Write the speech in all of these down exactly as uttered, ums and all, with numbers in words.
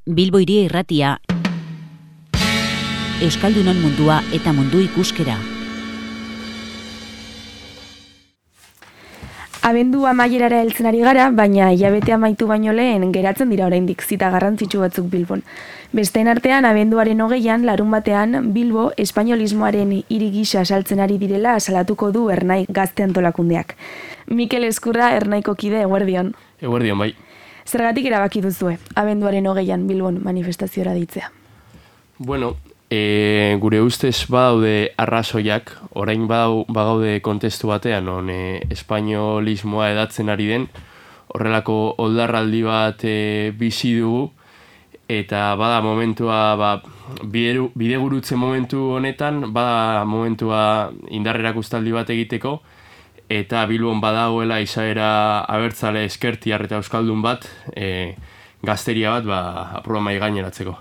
Bilbo Hiria Irratia, Euskaldunon mundua eta mundu ikuskera. Abendu amaierara heltzen ari gara, baina hilabete amaitu baino lehen geratzen dira oraindik zita garrantzitsu batzuk Bilbon. Besteen artean, abenduaren hogeian, larun batean, Bilbo espainolismoaren hiri gisa saltzen ari direla salatuko du Ernai Gazte Antolakundeak. Mikel Ezkurra, Ernaiko kide, eguerdion. Eguerdion, bai. Zergatik erabaki duzue, abenduaren hogeian Bilbon manifestaziora deitzea? Bueno, e, gure ustez badaude arrazoiak, orain badau, bagaude kontestu batean, on e, espainolismoa edatzen ari den, horrelako oldarraldi bat e, bizi dugu, eta bada momentua, ba, bide, bidegurutze momentu honetan, bada momentua indarrerak ustaldi bat egiteko, eta Bilbon badagoela izaera abertzale eskertiar eta euskaldun bat, e, gazteria bat, ba, aproba mai gaineratzeko.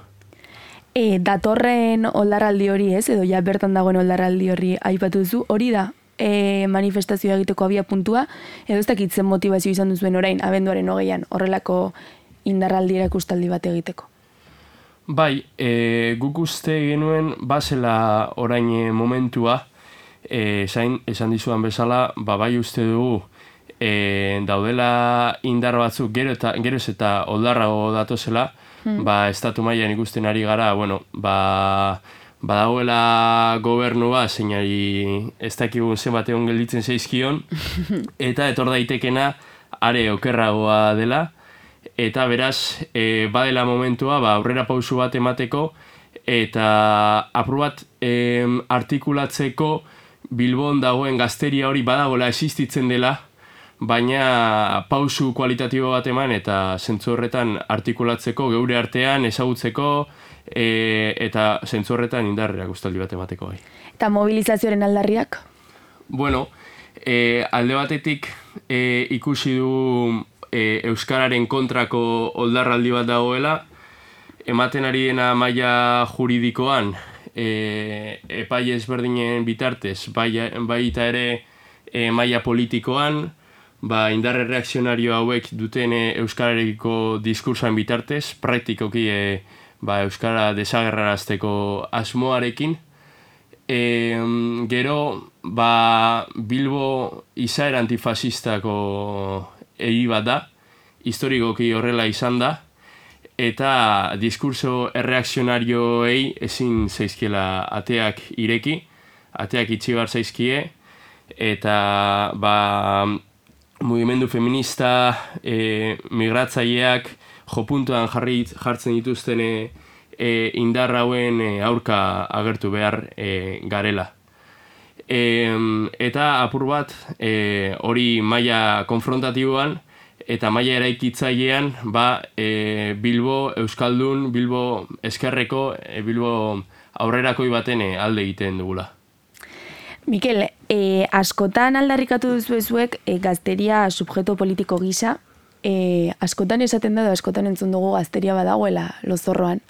E, datorren oldarraldi hori ez, edo ja bertan dagoen oldarraldi hori aipatu duzu, hori da e, manifestazioa egiteko abia puntua, edo ez dakitzen motivazio izan duzuen orain, abenduaren hogeian, horrelako indarraldi erakustaldi bat egiteko? Bai, e, guk uste genuen bazela orain e, momentua, e, zain, esan dizudan bezala, ba, bai uste dugu e, daudela indar batzuk gero eta, geroz eta oldarrago datozela, hmm. ba, estatu mailan ikusten ari gara, bueno, ba, badagoela gobernua, zeinari ez dakigun zenbat egon gelditzen zaizkion, eta etor daitekena are okerragoa dela, eta beraz, e, badela momentua, ba, aurrera pausu bat emateko, eta aprobat e, artikulatzeko Bilbon dagoen gazteria hori badagoela existitzen dela, baina pausu kualitatibo bat eman eta zentzu horretan artikulatzeko, geure artean ezagutzeko e, eta zentzu horretan indarrerak ustaldi bat emateko. Bai. Eta mobilizazioaren aldarriak? Bueno, e, alde batetik e, ikusi du e, euskararen kontrako oldarraldi bat dagoela, ematen ari dena maila juridikoan, e, epai ezberdinen bitartez, baita ere e, maila politikoan, ba, indarre reakzionario hauek duten e, euskararekiko diskursoan bitartez, praktikoki e, ba, euskara desagerrarazteko asmoarekin. E, gero, ba, Bilbo izaera antifasistako egi bat da, historikoki horrela izan da, eta diskurso erreakzionarioei ezin zaizkiela ateak ireki, ateak itxi behar zaizkie, eta ba, mugimendu feminista, e, migratzaileak jopuntuan jarri, jartzen dituzten e, e, indar hauen e, aurka agertu behar e, garela. E, eta apur bat e, hori maila konfrontatiboan, eta maila eraikitzailean, ba, e, Bilbo euskaldun, Bilbo eskerreko, e, Bilbo aurrerakoi baten e, alde egiten dugula. Mikel, e, askotan aldarrikatu duzuezuek e, gazteria subjeto politiko gisa, e, askotan esaten da, askotan entzun dugu gazteria badagoela lozorroan.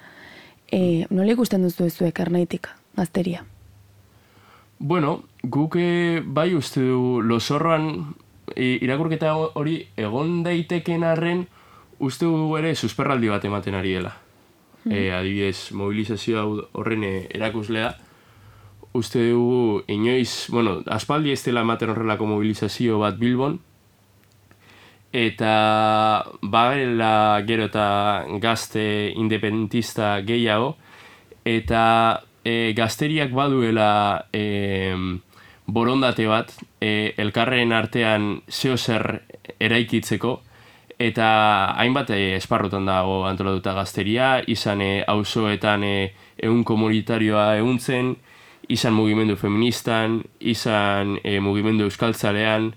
E, nola ikusten duzuezuek Ernaitik gazteria? Bueno, guk e, bai uste du lozorroan irakurketa hori egon daiteken arren uste dugu ere susperraldi bat ematen ari dela. Mm. E, adibidez, mobilizazioa horren erakuslea, uste dugu inoiz, bueno, aspaldi ez dela ematen horrelako mobilizazio bat Bilbon, eta bagela gero eta gazte independentista gehiago, eta e, gazteriak baduela e, borondate bat, e, elkarren artean zeozer eraikitzeko, eta hainbat e, esparrutan dago antolatuta gazteria, izan e, auzoetan e, ehun komunitarioa ehuntzen, izan mugimendu feministan, izan e, mugimendu euskaltzalean,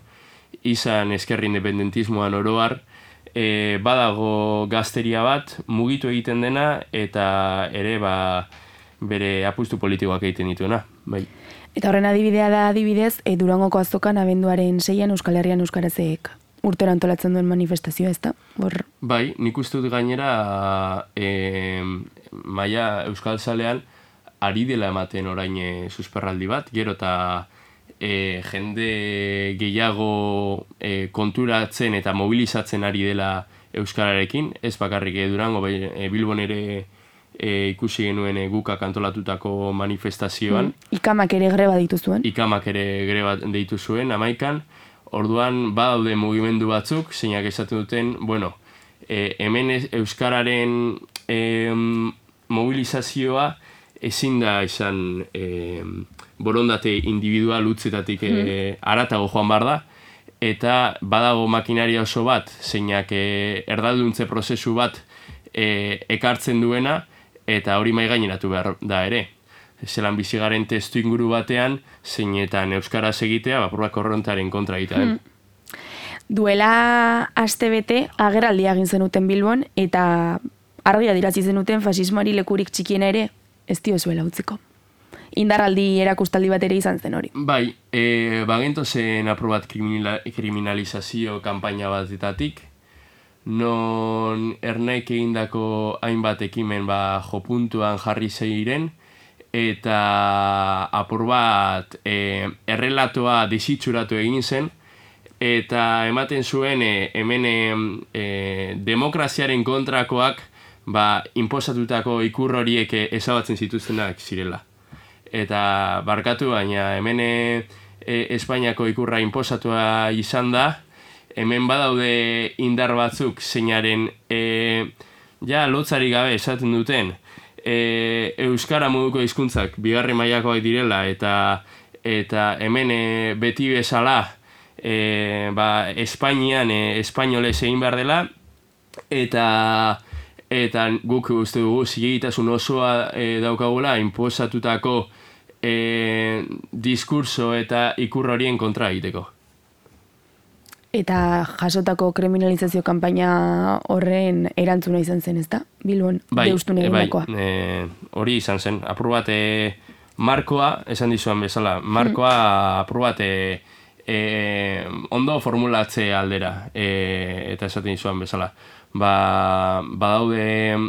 izan eskerri independentismoan oroar, e, badago gazteria bat, mugitu egiten dena, eta ere ba, bere apustu politikoak egiten dituena. Bai. Eta horren adibidea da adibidez, e, Durangoko azokan abenduaren seian Euskal Herrian euskarazek urtero antolatzen duen manifestazioa, ez da? Hor... Bai, nik uste dut gainera e, maila euskaltzalean ari dela ematen orain e, susperraldi bat, gero eta e, jende gehiago e, konturatzen eta mobilizatzen ari dela euskararekin, ez bakarrik e, Durango, bai, e, Bilbon ere e, ikusi genuen e, gukak antolatutako manifestazioan. Mm. Ikamak ere greba ditu zuen. Ikamak ere greba deitu zuen, amaikan. Orduan, badaude mugimendu batzuk, zeinak esaten duten, bueno, e, hemen euskararen e, mobilizazioa ezin da izan e, borondate individual utzetatik e, mm. aratago joan bar da, eta badago makinaria oso bat, zeinak e, erdalduntze prozesu bat e, ekartzen duena, eta hori maigaineratu behar da ere. Zelan bizigaren testu inguru batean, zeinetan euskaraz egitea, bapurbak korrontaren kontra egitea den. Hmm. Duela aste bete agerraldia egin zenuten Bilbon, eta argi adirazi zenuten fasismoari lekurik txikiena ere ez diozuela utziko. Indarraldi erakustaldi bat ere izan zen hori. Bai, e, bagento zen aprobat kriminala, kriminalizazio kanpaina batetatik, non ernaik egindako hainbat ekimen ba, jopuntuan jarri zeiren, eta apur bat e, errelatoa desitxuratu egin zen, eta ematen zuen e, hemen e, demokraziaren kontrakoak ba, inposatutako ikur horiek ezabatzen zituztenak zirela. Eta barkatu, baina hemen e, Espainiako ikurra inposatua izan da, hemen badaude indar batzuk zeinaren e, ja lotzari gabe esaten duten e, euskara moduko hizkuntzak bigarren mailakoak direla, eta eta hemen e, beti bezala e, ba, Espainian e, espainolez egin behar dela, eta eta guk uste dugu zilegitasun osoa e, daukagula inposatutako e, diskurso eta ikur horien kontra egiteko. Eta jasotako kriminalizazio kanpaina horren erantzuna izan zen, ezta? Bilbon bai, deustun egindakoa. Bai, e, hori izan zen. Apur bat e, markoa, esan dizuan bezala, markoa hmm. apur bat e, e, ondo formulatze aldera, e, eta esaten dizuan bezala. Ba, badaude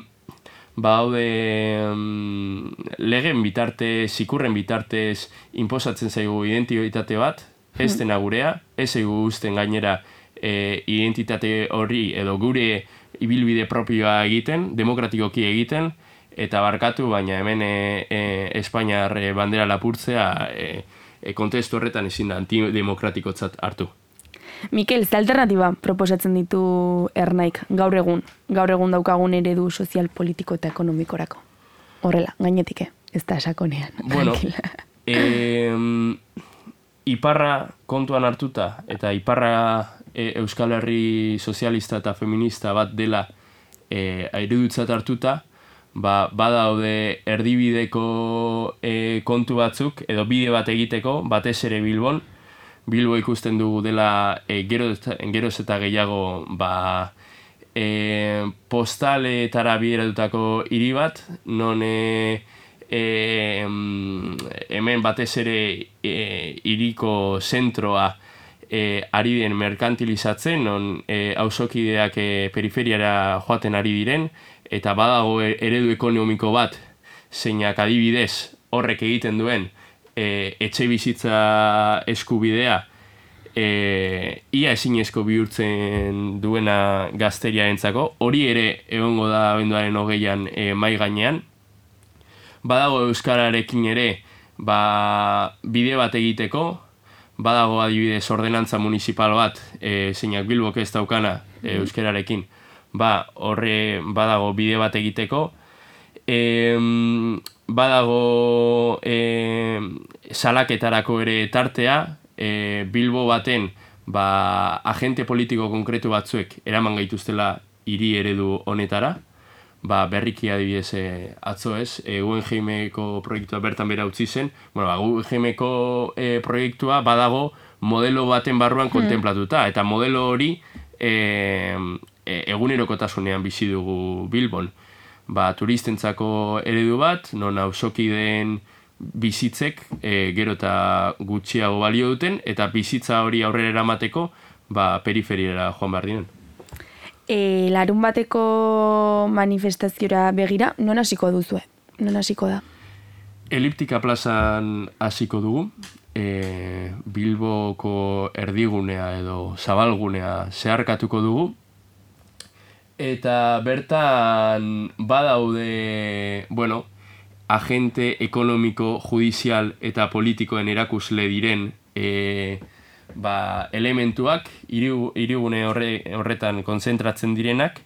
badaude um, legen bitartez, ikurren bitartez inposatzen zaigu identitate bat, ez dena gurea, ez zaigu usten gainera e, identitate horri edo gure ibilbide propioa egiten, demokratikoki egiten, eta barkatu, baina hemen e, e, Espainiar bandera lapurtzea e, e, kontestu horretan ezin da antidemokratikotzat hartu. Mikel, ze alternatiba proposatzen ditu ernaik gaur egun, gaur egun daukagun eredu sozial, politiko eta ekonomikorako? Horrela, gainetik, ez da sakonean. Bueno, e, iparra kontuan hartuta, eta iparra e, Euskal Herri sozialista eta feminista bat dela e, eredutzat hartuta, ba, badaude erdibideko e, kontu batzuk, edo bide bat egiteko, batez ere Bilbon, Bilbo ikusten dugu dela e, geroz, geroz eta gehiago ba, e, postaletara bideratutako hiri bat, non e, e, hemen batez ere e, hiriko zentroa e, ari den merkantilizatzen, non e, auzokideak e, periferiara joaten ari diren, eta badago eredu ekonomiko bat, zeinak adibidez horrek egiten duen, E, etxe bizitza eskubidea e, ia ezinezko bihurtzen duena gazteriarentzako, hori ere egongo da abenduaren hogeian e, mai gainean. Badago euskararekin ere ba, bide bat egiteko, badago adibidez ordenantza municipal bat, e, zeinak Bilbok ez daukana e, euskararekin, ba, horre badago bide bat egiteko. E, badago e, salaketarako ere tartea, e, Bilbo baten ba, agente politiko konkretu batzuek eraman gaituztela hiri eredu honetara, ba, berriki adibidez e, atzo ez, e, Guggenheimeko proiektua bertan bera utzi zen, bueno, ba, Guggenheimeko e, proiektua badago modelo baten barruan kontemplatuta, eta modelo hori e, e, egunerokotasunean bizi dugu Bilbon. Ba, turistentzako eredu bat, non auzokideen bizitzek e, gero eta gutxiago balio duten, eta bizitza hori aurrera eramateko ba, periferiera joan behar diren. E, larun bateko manifestaziora begira, non hasiko duzue? Non hasiko da? Eliptika plazan hasiko dugu, e, Bilboko erdigunea edo zabalgunea zeharkatuko dugu, Eta bertan badaude, bueno, agente ekonomiko, judizial eta politikoen erakusle diren e, ba, elementuak, hirigu- hirigune horre, horretan kontzentratzen direnak,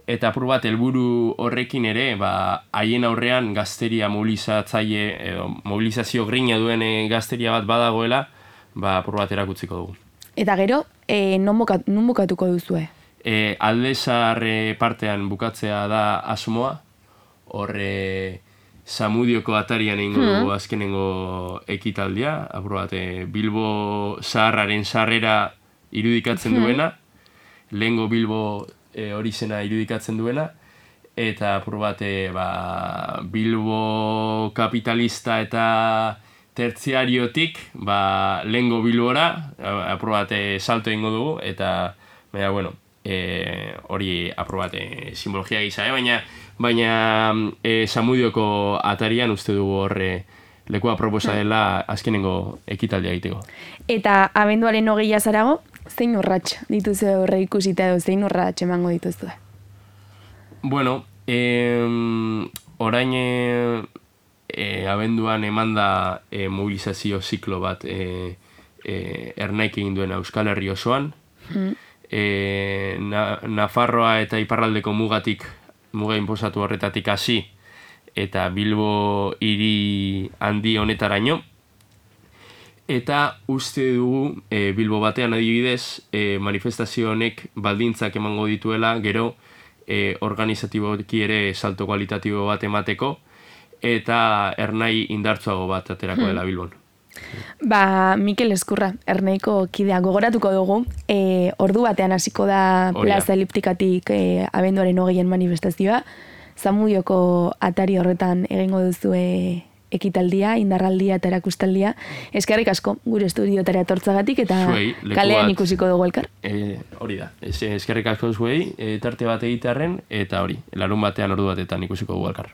eta apur bat helburu horrekin ere, ba, haien aurrean gazteria mobilizatzaile, edo mobilizazio grina duen e, gazteria bat badagoela, ba, apur bat erakutziko dugu. Eta gero, e, non, buka, non bukatuko duzue? E, alde zahar e, partean bukatzea da asmoa, horre Zamudioko atarian egingo dugu azkenengo ekitaldia, apur bat, e, Bilbo zaharraren sarrera irudikatzen duena, lehengo Bilbo e, hori zena irudikatzen duena, eta apur bat, e, ba, Bilbo kapitalista eta tertziariotik, ba, lehengo Bilbora, apur bat, e, salto egingo dugu, eta, baina, bueno, e, hori apur bat, e, simbologia gisa, eh? baina, baina e, Zamudioko atarian uste dugu horre lekua proposa dela azkenengo ekitaldia egiteko. Eta abenduaren hogeia zarago, zein urrats dituzu horre ikusita edo zein urrats emango dituzue? Bueno, eh, orain e, e, abenduan emanda e, mobilizazio ziklo bat e, e, Ernaik egin duena Euskal Herri osoan. Hmm. E, na, Nafarroa eta Iparraldeko mugatik, muga inposatu horretatik hasi, eta Bilbo hiri handi honetaraino. Eta uste dugu, e, Bilbo batean adibidez, e, manifestazio honek baldintzak emango dituela, gero e, organizatiboki ere salto kualitatibo bat emateko, eta Ernai indartsuago bat aterako dela Bilbon. Ba, Mikel Ezkurra, Ernaiko kidea gogoratuko dugu, e, ordu batean hasiko da Plaza Eliptikatik e, abenduaren hogeien manifestazioa, Zamudioko atari horretan egingo duzue ekitaldia, indarraldia eta erakustaldia. Eskerrik asko gure estudiotara etortzagatik eta zuei, kalean ikusiko dugu elkar. E, hori da, eskerrik asko zuei, e, tarte bat egitearren, eta hori, larun batean ordu batetan ikusiko dugu elkar.